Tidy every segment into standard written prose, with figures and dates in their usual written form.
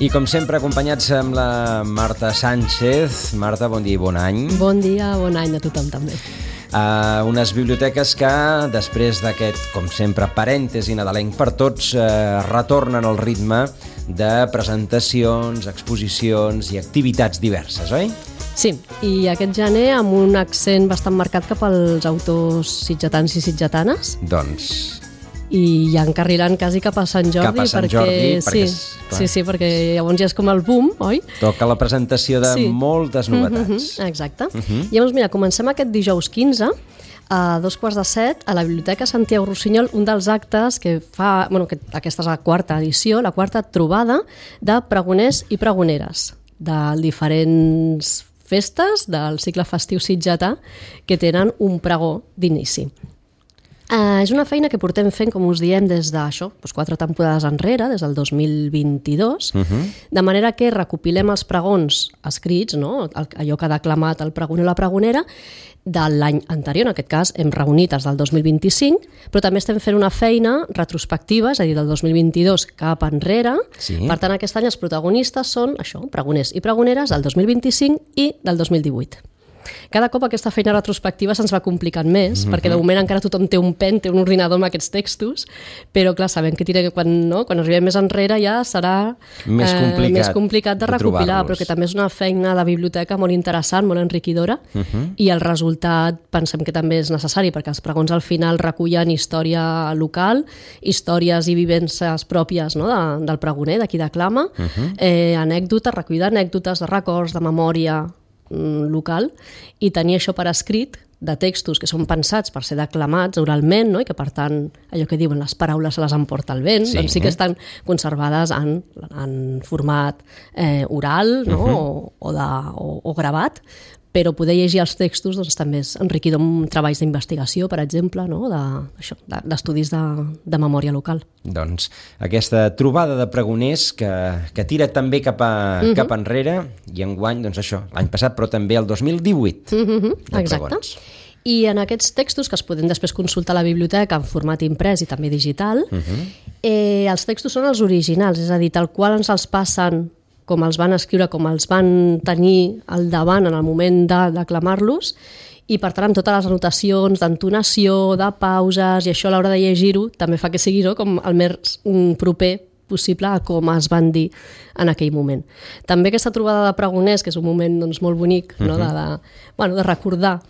I com sempre acompanyats amb la Marta Sánchez. Marta, bon dia i bon any. Bon dia, bon any a tothom també. Unes biblioteques que, després d'aquest, com sempre, parèntesi nadalenc per tots, retornen al ritme de presentacions, exposicions i activitats diverses, oi? Sí, i aquest gener amb un accent bastant marcat cap als autors sitgetans i sitgetanes. Doncs... I ja encarrilant quasi cap a Sant Jordi. Cap a Sant Jordi, perquè... Sí, perquè llavors ja és com el boom, oi? Toca la presentació de moltes novetats. Exacte. I llavors, mira, comencem aquest dijous 15, a 6:45, a la Biblioteca Santiago Rossinyol, un dels actes que fa... que aquesta és la quarta edició, la quarta trobada de pregoners i pregoneres de diferents festes del cicle festiu sitgetà que tenen un pregó d'inici. És una feina que portem fent, com us diem, des d'això, 4 temporades enrere, des del 2022, de manera que recopilem els pregons escrits, no? Allò que ha declamat el pregoner o la pregonera, de l'any anterior, en aquest cas hem reunit els del 2025, però també estem fent una feina retrospectiva, és a dir, del 2022 cap enrere. Sí. Per tant, aquest any els protagonistes són això, pregoners i pregoneres del 2025 i del 2018. Cada cop aquesta feina retrospectiva se'ns va complicant més, perquè de moment encara tothom té un pen, té un ordinador amb aquests textos, però clar, sabem que quan arribem més enrere ja serà més complicat de recopilar, però que també és una feina de biblioteca molt interessant, molt enriquidora, i el resultat pensem que també és necessari, perquè els pregons al final recullen història local, històries i vivències pròpies, no? Del pregoner, de qui declama, anècdotes, recollida d'anècdotes, de records, de memòria local, i tenir això per escrit de textos que són pensats per ser declamats oralment, no? I que per tant allò que diuen les paraules se les emporta el vent, doncs sí que estan conservades en format oral, no? o gravat, però poder llegir els textos doncs, també és enriquidor amb treballs d'investigació, per exemple, no? D'estudis de memòria local. Doncs aquesta trobada de pregoners que tira també cap enrere, i enguany, doncs això, l'any passat, però també el 2018. Exacte. I en aquests textos, que es poden després consultar a la biblioteca en format imprès i també digital, els textos són els originals, és a dir, tal qual ens els passen com els van escriure, com els van tenir al davant en el moment de declamar-los, i per tant amb totes les anotacions d'entonació, de pauses, i això a l'hora de llegir-ho també fa que sigui com el més proper possible a com es van dir en aquell moment. També aquesta trobada de pregoners, que és un moment molt bonic, no? de recordar,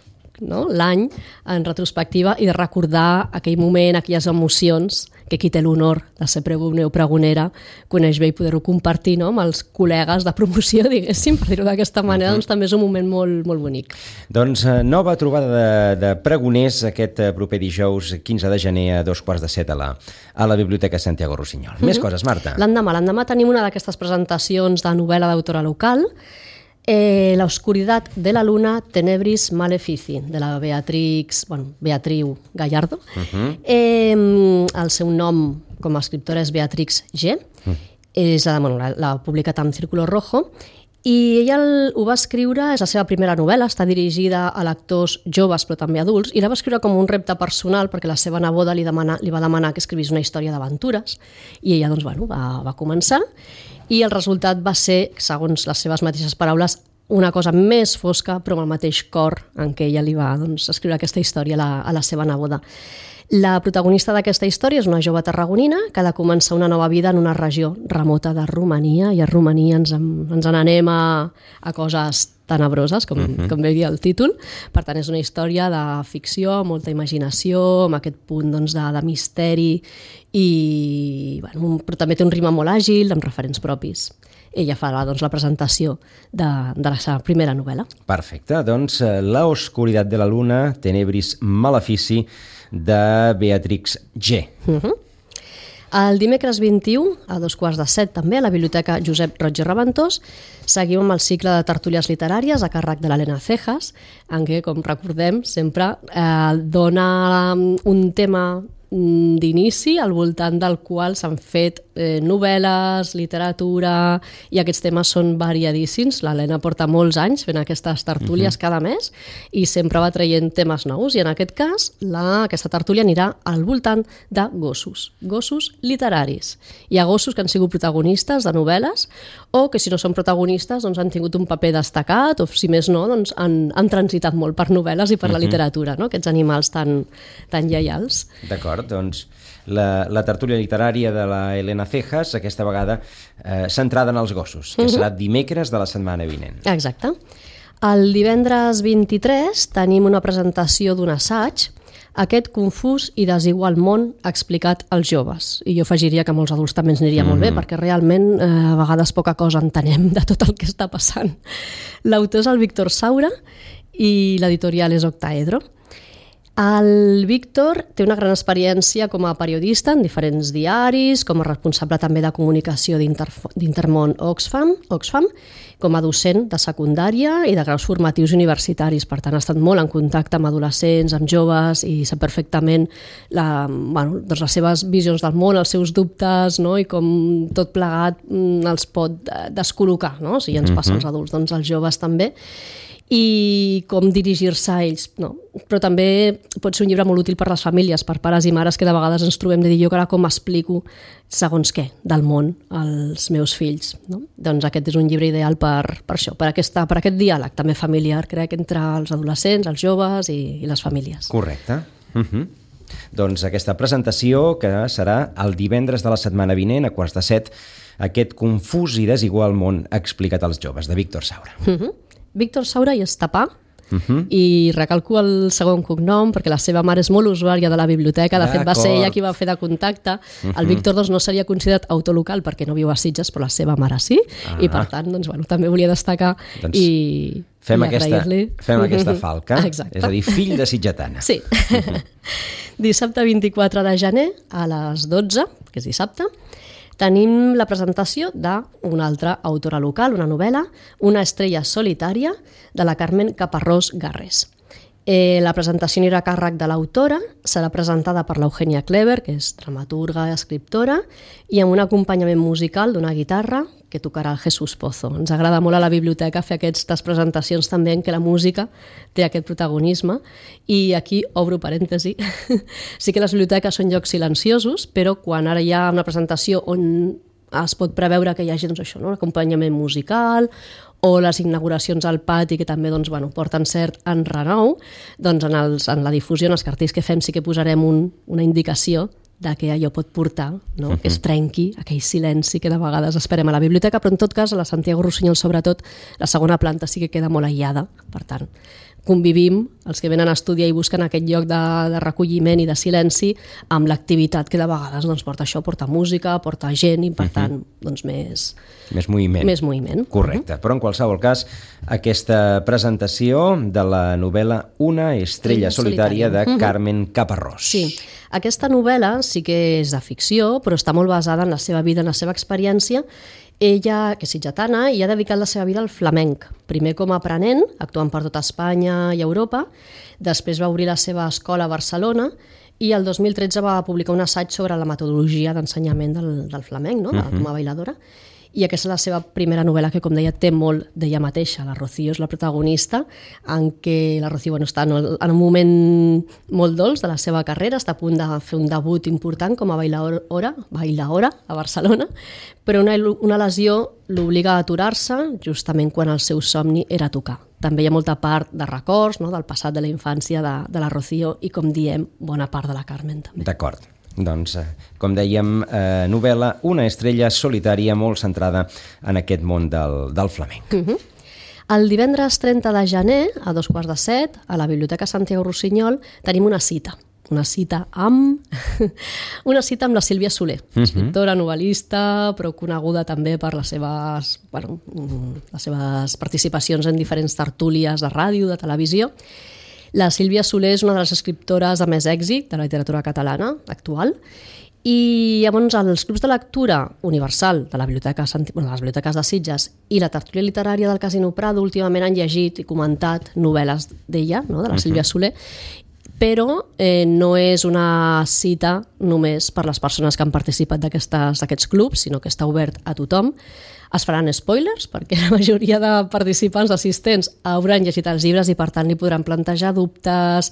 no? L'any en retrospectiva i de recordar aquell moment, aquelles emocions que qui té l'honor de ser pregoner o pregonera coneix bé i poder-ho compartir, no? Amb els col·legues de promoció, diguéssim, per dir-ho d'aquesta manera, doncs també és un moment molt, molt bonic. Doncs nova trobada de pregoners aquest proper dijous 15 de gener a 6:45 a la Biblioteca Santiago Rossinyol. Més coses, Marta? L'endemà tenim una d'aquestes presentacions de novel·la d'autora local, La oscuridad de la luna, Tenebris Malefici, de la Beatriu Gallardo. El seu nom com a escriptora és Beatrix G. L'ha publicat amb Círculo Rojo, i ella ho va escriure, és la seva primera novel·la, està dirigida a lectors joves però també adults, i la va escriure com un repte personal perquè la seva neboda li va demanar que escrivís una història d'aventures, i ella va començar, i el resultat va ser, segons les seves mateixes paraules, una cosa més fosca però amb el mateix cor en què ella li va escriure aquesta història a la seva neboda. La protagonista d'aquesta història és una jove tarragonina que ha de començar una nova vida en una regió remota de Romania, i a Romania ens n'anem a coses tenebroses, com bé dia el títol. Per tant, és una història de ficció, molta imaginació, amb aquest punt de misteri, però també té un ritme molt àgil, amb referents propis. Ella farà la presentació de la seva primera novel·la. Perfecte, doncs La oscuridad de la luna, Tenebris Malefici, de Beatrix G. El dimecres 21, a 6:45 també, a la Biblioteca Josep Roig i Reventós, seguim amb el cicle de tertúlies literàries a càrrec de l'Helena Cejas, en què, com recordem, sempre dona un tema d'inici al voltant del qual s'han fet novel·les, literatura, i aquests temes són variadíssims. L'Helena porta molts anys fent aquestes tertúlies cada mes i sempre va traient temes nous, i en aquest cas aquesta tertúlia anirà al voltant de gossos literaris. Hi ha gossos que han sigut protagonistes de novel·les o que si no són protagonistes doncs han tingut un paper destacat o si més no doncs han transitat molt per novel·les i per la literatura, no? Aquests animals tan lleials. D'acord, doncs la tertúlia literària de la Helena Cejas, aquesta vegada centrada en els gossos, que serà dimecres de la setmana vinent. Exacte. El divendres 23 tenim una presentació d'un assaig, Aquest confús i desigual món explicat als joves. I jo afegiria que molts adults també ens aniria molt bé, perquè realment a vegades poca cosa entenem de tot el que està passant. L'autor és el Víctor Saura i l'editorial és Octaedro. El Víctor té una gran experiència com a periodista en diferents diaris, com a responsable també de comunicació d'Intermón Oxfam, com a docent de secundària i de graus formatius universitaris. Per tant, ha estat molt en contacte amb adolescents, amb joves, i sap perfectament les seves visions del món, els seus dubtes, no? I com tot plegat els pot descol·locar, no? Si ja ens passa als adults, doncs als joves també, i com dirigir-se a ells. No. Però també pot ser un llibre molt útil per les famílies, per pares i mares que de vegades ens trobem de dir jo ara com explico segons què del món als meus fills. No? Doncs aquest és un llibre ideal per això, per aquest diàleg també familiar, crec, entre els adolescents, els joves i les famílies. Correcte. Doncs aquesta presentació que serà el divendres de la setmana vinent a 6:45, aquest confús i desigual món explicat als joves, de Víctor Saura. Víctor Saura i Estapà, i recalco el segon cognom perquè la seva mare és molt usuària de la biblioteca, de fet va ser ella qui va fer de contacte. El Víctor no seria considerat autolocal perquè no viu a Sitges, però la seva mare sí, i per tant també volia destacar i agrair-li. Fem aquesta falca, exacte. És a dir, fill de sitgetana. Sí. Dissabte 24 de gener a les 12, que és dissabte, tenim la presentació d'una altra autora local, una novel·la, Una estrella solitària, de la Carmen Caparrós Garrés. La presentació anirà a càrrec de l'autora, serà presentada per l'Eugènia Clever, que és dramaturga i escriptora, i amb un acompanyament musical d'una guitarra que tocarà el Jesús Pozo. Ens agrada molt a la biblioteca fer aquestes presentacions també en què la música té aquest protagonisme, i aquí obro parèntesi. Sí que les biblioteques són llocs silenciosos, però quan ara hi ha una presentació on es pot preveure que hi hagi un acompanyament musical o les inauguracions al pati que també porten cert enrenou, doncs en la difusió, en els cartells que fem, sí que posarem una indicació de què allò pot portar, no? Que es trenqui aquell silenci que de vegades esperem a la biblioteca, però en tot cas a la Santiago Rossinyol sobretot la segona planta sí que queda molt aïllada, per tant convivim, els que venen a estudiar i busquen aquest lloc de recolliment i de silenci, amb l'activitat que de vegades porta això, porta música, porta gent i per tant més moviment. Correcte, però en qualsevol cas aquesta presentació de la novel·la Una estrella solitària de Carmen Caparrós. Sí, aquesta novel·la sí que és de ficció, però està molt basada en la seva vida, en la seva experiència. Ella, que és sitgetana, i ha dedicat la seva vida al flamenc, primer com a aprenent, actuant per tota Espanya i Europa, després va obrir la seva escola a Barcelona i el 2013 va publicar un assaig sobre la metodologia d'ensenyament del flamenc, com a bailadora, i aquesta és la seva primera novel·la que, com deia, té molt d'ella mateixa. La Rocío és la protagonista, en què la Rocío està en un moment molt dolç de la seva carrera, està a punt de fer un debut important com a bailaora a Barcelona, però una lesió l'obliga a aturar-se justament quan el seu somni era tocar. També hi ha molta part de records, del passat de la infància de la Rocío i, com diem, bona part de la Carmen també. D'acord. Doncs, com dèiem, novel·la Una estrella solitària, molt centrada en aquest món del flamenc. El divendres 30 de gener, a 6:45, a la Biblioteca Santiago Rossinyol, tenim una cita amb la Sílvia Soler, escriptora, novel·lista, però coneguda també per les seves participacions en diferents tertúlies de ràdio, de televisió. La Sílvia Soler és una de les escriptores de més èxit de la literatura catalana actual, i llavors els clubs de lectura universal de les biblioteques de Sitges i la tertúlia literària del Casino Prado últimament han llegit i comentat novel·les d'ella, de la Sílvia Soler, però no és una cita només per les persones que han participat d'aquests clubs, sinó que està obert a tothom. Es faran spoilers, perquè la majoria de participants assistents hauran llegit els llibres i per tant li podran plantejar dubtes,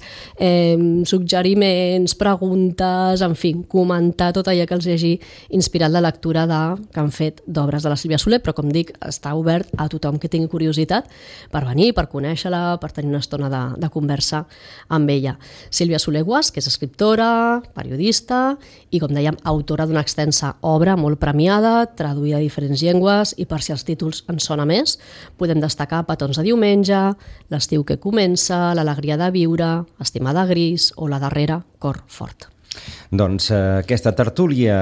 suggeriments, preguntes, en fi, comentar tot allò que els hagi inspirat la lectura que han fet d'obres de la Sílvia Soler, però com dic, està obert a tothom que tingui curiositat per venir, per conèixer-la, per tenir una estona de conversa amb ella. Sílvia Soler Guasch, que és escriptora, periodista i, com dèiem, autora d'una extensa obra molt premiada, traduïda a diferents llengües, i per si els títols en sona més, podem destacar Petons de diumenge, L'estiu que comença, L'alegria de viure, Estimada gris o La darrera, Cor fort. Doncs aquesta tertúlia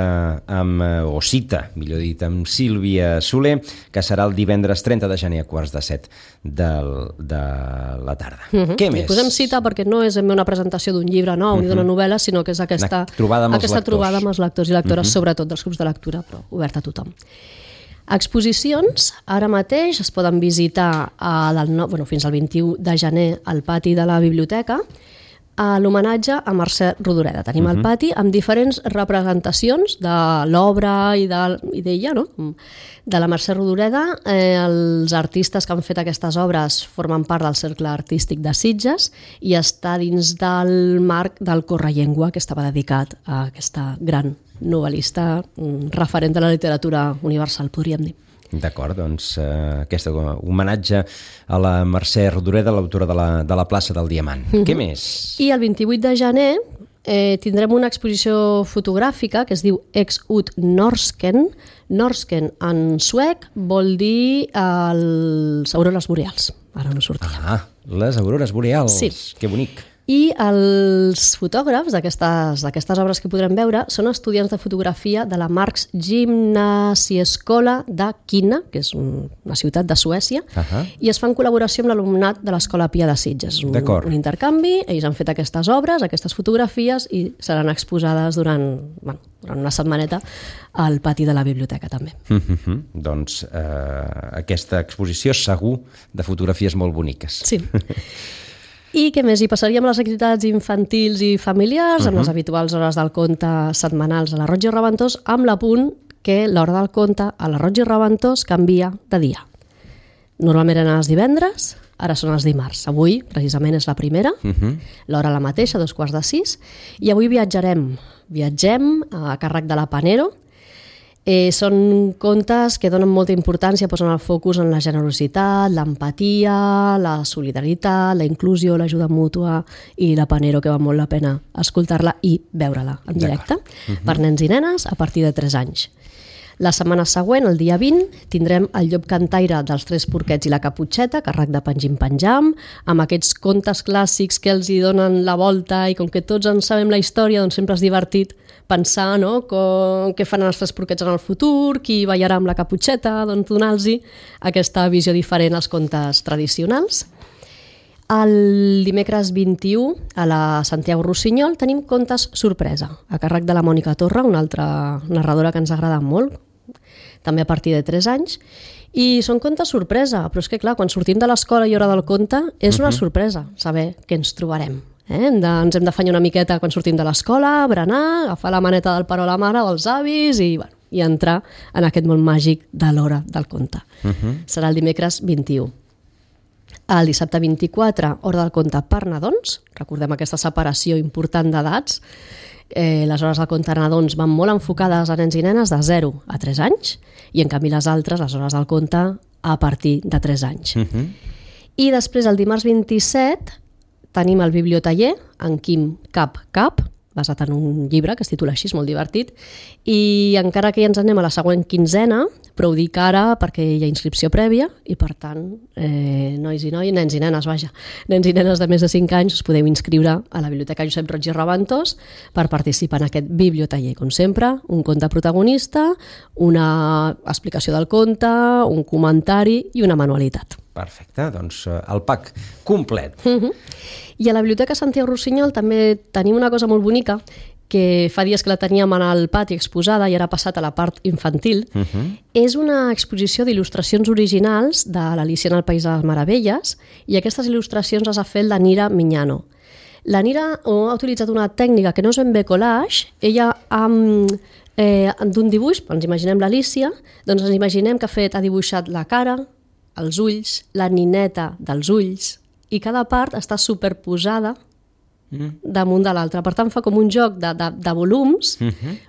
o cita, millor dit, amb Sílvia Soler, que serà el divendres 30 de gener a 6:45 de la tarda. Què més? Posem cita perquè no és una presentació d'un llibre nou ni d'una novel·la, sinó que és aquesta trobada amb els lectors i lectores, sobretot dels grups de lectura, però oberta a tothom. Exposicions, ara mateix es poden visitar fins al 21 de gener al pati de la biblioteca, a l'homenatge a Mercè Rodoreda. Tenim el pati amb diferents representacions de l'obra i d'ella, no? De la Mercè Rodoreda. Els artistes que han fet aquestes obres formen part del Cercle Artístic de Sitges i està dins del marc del Correllengua, que estava dedicat a aquesta gran novel·lista referent de la literatura universal, podríem dir. D'acord, doncs aquest homenatge a la Mercè Rodoreda, l'autora de la plaça del Diamant. Què més? I el 28 de gener tindrem una exposició fotogràfica que es diu Ex ut Norsken. Norsken en suec vol dir les aurores boreals. Ara no sortia. Ah, les aurores boreals. Sí. Que bonic. I els fotògrafs d'aquestes obres que podrem veure són estudiants de fotografia de la Marx Gymnasieskola de Kina, que és una ciutat de Suècia, i es fa en col·laboració amb l'alumnat de l'Escola Pia de Sitges. És un intercanvi, ells han fet aquestes obres, aquestes fotografies, i seran exposades durant una setmaneta al pati de la biblioteca també. Doncs aquesta exposició segur de fotografies molt boniques. Sí. I què més? Hi passaríem a les activitats infantils i familiars, amb les habituals hores del conte setmanals a la Roig i Reventós, amb l'apunt que l'hora del conte a la Roig i Reventós canvia de dia. Normalment eren els divendres, ara són els dimarts. Avui, precisament, és la primera, l'hora la mateixa, 5:45, i avui viatgem a càrrec de la Panero. Són contes que donen molta importància, posen el focus en la generositat, l'empatia, la solidaritat, la inclusió, l'ajuda mútua i la Panero, que val molt la pena escoltar-la i veure-la en directe, per nens i nenes a partir de 3 anys. La setmana següent, el dia 20, tindrem el llop cantaire dels 3 porquets i la caputxeta, a càrrec de Pangim-Panjam, amb aquests contes clàssics que els hi donen la volta i com que tots en sabem la història, doncs sempre és divertit pensar què fan els 3 porquets en el futur, qui ballarà amb la caputxeta, doncs donar-los aquesta visió diferent als contes tradicionals. El dimecres 21, a la Santiago Rossinyol, tenim contes sorpresa, a càrrec de la Mònica Torra, una altra narradora que ens agrada molt, també a partir de 3 anys, i són contes sorpresa, però és que clar, quan sortim de l'escola i hora del conte, és una sorpresa saber què ens trobarem. Ens hem d'afanyar una miqueta quan sortim de l'escola, berenar, agafar la maneta del pare o la mare o els avis i entrar en aquest món màgic de l'hora del conte. Serà el dimecres 21. El dissabte 24, hora del conte per nadons. Recordem aquesta separació important d'edats. Les hores del conte per nadons van molt enfocades a nens i nenes de 0 a 3 anys i en canvi les altres, les hores del conte, a partir de 3 anys. I després, el dimarts 27, tenim el bibliotaller en Quim Cap, basat en un llibre que es titula així, és molt divertit, i encara que ja ens anem a la següent quinzena, però ho dic ara perquè hi ha inscripció prèvia i per tant, nois i noies, nens i nenes, nens i nenes de més de 5 anys us podeu inscriure a la Biblioteca Josep Roig i Reventós per participar en aquest bibliotaller. Com sempre, un conte protagonista, una explicació del conte, un comentari i una manualitat. Perfecte, doncs el pack complet. I a la Biblioteca Santiago Rossinyol també tenim una cosa molt bonica que fa dies que la teníem en el pati exposada i ara ha passat a la part infantil. És una exposició d'il·lustracions originals de l'Alicia en el País de les Meravelles i aquestes il·lustracions les ha fet la Nira Miñano. La Nira ha utilitzat una tècnica que no és ben bé collage. Ella d'un dibuix, ens imaginem l'Alícia, doncs ens imaginem que ha dibuixat la cara, els ulls, la nineta dels ulls, i cada part està superposada damunt de l'altra. Per tant, fa com un joc de volums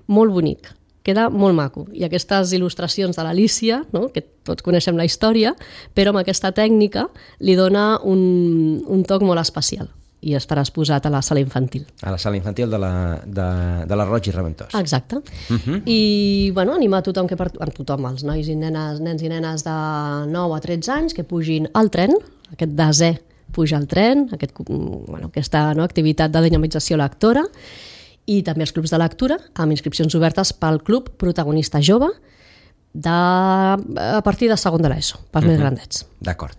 molt bonic. Queda molt maco. I aquestes il·lustracions de l'Alícia, no? Que tots coneixem la història, però amb aquesta tècnica li dona un toc molt especial. I estarà exposat a la sala infantil. A la sala infantil de la Roig i Reventós. Exacte. I bueno, animar a tothom, tothom, els nois i nens i nenes de 9 a 13 anys, que pugin al tren, aquest desè puja al tren, aquesta activitat de dinamització lectora, i també els clubs de lectura, amb inscripcions obertes pel club protagonista jove a partir de segon de l'ESO, pels més grandets. D'acord.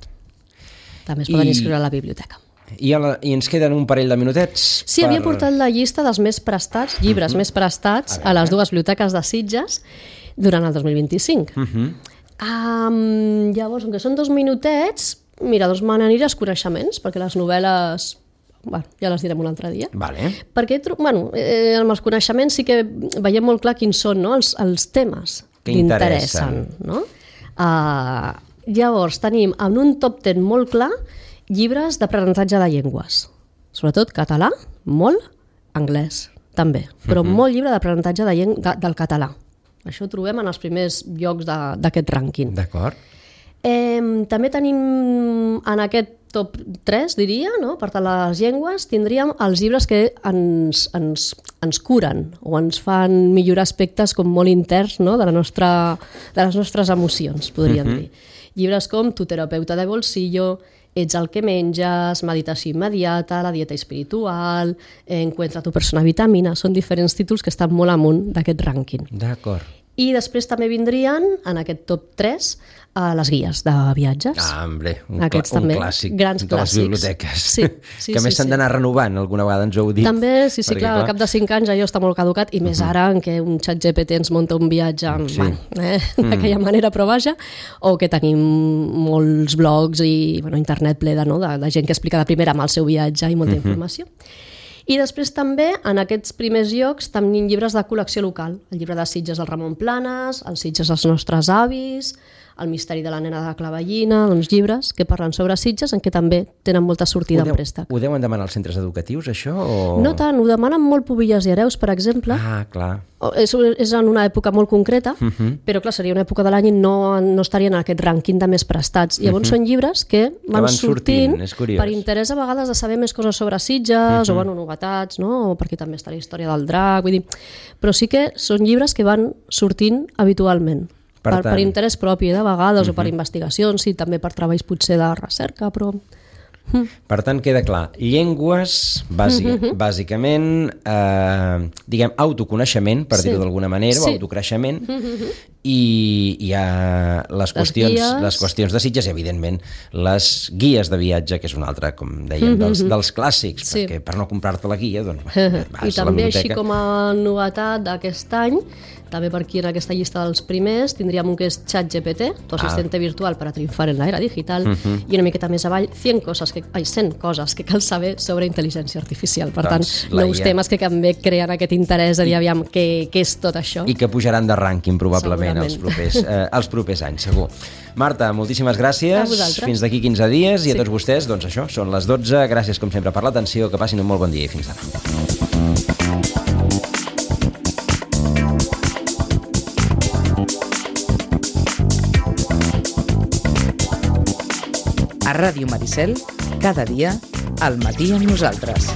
També es poden inscriure a la biblioteca. I ens queden un parell de minutets. Sí, havia portat la llista dels més prestats, llibres més prestats a les dues biblioteques de Sitges durant el 2025. Llavors, com que són 2 minutets, mira, doncs me n'aniré als coneixements, perquè les novel·les ja les direm un altre dia. Vale. Perquè amb els coneixements sí que veiem molt clar quins són, no? els temes que interessen. No? Llavors tenim en un top 10 molt clar llibres d'aprenentatge de llengües, sobretot català, molt, anglès també, però molt llibre d'aprenentatge del català. Això ho trobem en els primers llocs d'aquest rànquing. D'acord. També tenim en aquest top 3, diria, no? Per tant, les llengües, tindríem els llibres que ens curen o ens fan millorar aspectes com molt interns, no? de les nostres emocions, podríem dir. Llibres com Tu terapeuta de bolsillo, Ets el que menges, Meditació immediata, La dieta espiritual, Encuentra tu persona vitamina, són diferents títols que estan molt amunt d'aquest rànquing. D'acord. I després també vindrien, en aquest top 3, les guies de viatges. Hombre, un clàssic grans de les biblioteques. Sí, que més s'han d'anar renovant, alguna vegada ens ho heu dit. També, sí, clar, al cap de 5 anys allò està molt caducat, i més ara en què un xat GPT ens munta un viatge d'aquella manera, però vaja, o que tenim molts blogs i internet ple de gent que explica de primera mà el seu viatge i molta informació. I després també, en aquests primers llocs, tenim llibres de col·lecció local. El llibre de Sitges del Ramon Planes, els Sitges dels nostres avis, El misteri de la nena de la clavellina, doncs llibres que parlen sobre Sitges, en què també tenen molta sortida en préstec. Ho deuen demanar als centres educatius, això? No tant, ho demanen molt Pubilles i Hereus, per exemple. Clar. És en una època molt concreta, però clar, seria una època de l'any i no estarien en aquest rànquing de més prestats. Llavors són llibres que van sortint per interès a vegades de saber més coses sobre Sitges, o novetats, no? O perquè també està la història del drac, vull dir. Però sí que són llibres que van sortint habitualment. Per interès propi, de vegades, o per investigacions, i també per treballs potser de recerca, però... Per tant, queda clar, llengües, bàsicament, diguem, autoconeixement, per dir-ho d'alguna manera, o autocreixement, i hi ha les qüestions de Sitges, i evidentment les guies de viatge, que és una altra, com dèiem, dels clàssics, perquè per no comprar-te la guia, doncs vas a la biblioteca. I també, així com a novetat d'aquest any, també per aquí en aquesta llista dels primers tindríem un que és ChatGPT, tu assistente virtual per a triunfar en l'era digital, i una miqueta més avall 100 coses que cal saber sobre intel·ligència artificial. Per tant, nous temes que també creen aquest interès de dir, aviam, què és tot això. I que pujaran de rànquing probablement els propers anys, segur. Marta, moltíssimes gràcies. Fins d'aquí 15 dies, i a tots vostès, doncs això, són les 12. Gràcies com sempre per l'atenció, que passin un molt bon dia i fins demà. A Ràdio Maricel, cada dia, al matí amb nosaltres.